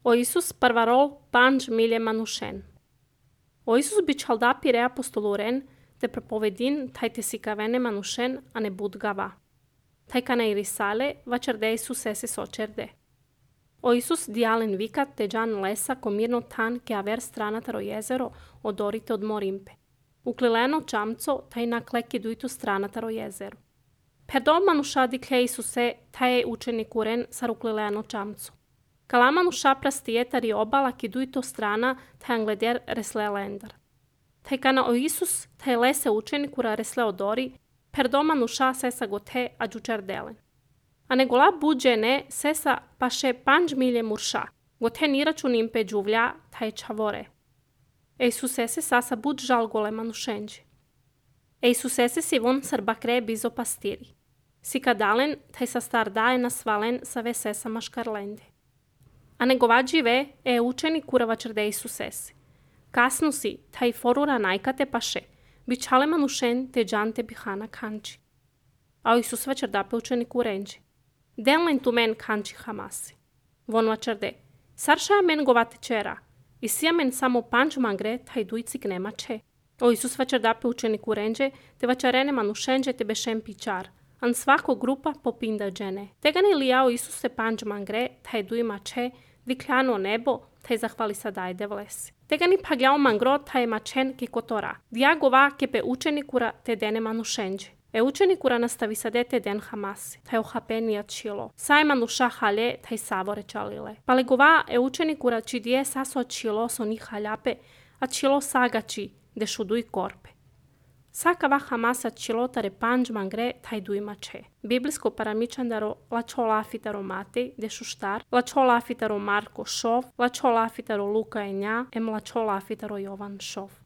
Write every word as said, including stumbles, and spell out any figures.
O Isus parvarol panj milje manushen. O Isus biçhalda pire apostoluren te propovedin tajte si kavene manushen ane bud gava. Tajkana irisale vačerde Isus ese sočerde. O Isus dialen vikat te džan lesa komirno tan ke aver stranataro jezero odorite od morimpe. Uklileno čamco taj na kleki dujtu stranataro jezeru. Perdo manusha dikle Isuse taj učenik uren sar uklileno čamco. Kala manusha prastijetari obala ki dujto strana taj angleder resle lendar. Taj kana o Isus taj lese učenikura resle odori, perdo manusha sesa gote a džučardelen. A negola buđene sesa paše panj milje murša, gote niračun impe džuvlja taj čavore. E Isusese sasa bud žal gole manušenđi. E Isusese si von sar bakre bizo pastiri. Si kadalen taj sa star daje na svalen sa ve sesa maškarlende. A negovađi ve e učeni kurava črde Isusese. Kasnu si taj forura najkate paše, bičale manušen te džante bihana kanči. A Isus vačardape učenik urenđi. Denlen tu men kanči hamasi. Von vačarde, sarša men govate čera, i sija men samo panč mangre taj dujcik nema če. O Isus vačardape učenik urenđe, te vačarene manušenđe te bešem pičar, an svako grupa popinda džene. Tega ne lijao Isuse panč mangre taj dujma če, vikljano nebo, taj zahvali sadajde vlesi. Tega ni pagljao mangro taj mačen ki kotora. Diagova kepe učenikura te dene manušenđe. E učenikura nastavi sadete den hamasi, taj ohapenija čilo. Saj manuša halje, taj savore čalile. Palegova e učenikura či dije saso čilo so ni haljape, a čilo sagači, de šuduj korpe. Sakava hamasa čilotare panj mangre taj dujma če. Biblijsko paramičandaro lačola afitaro Matej, de šuštar, lačola afitaro Marko šov, lačola afitaro Luka enja, em lačola afitaro Jovan šov.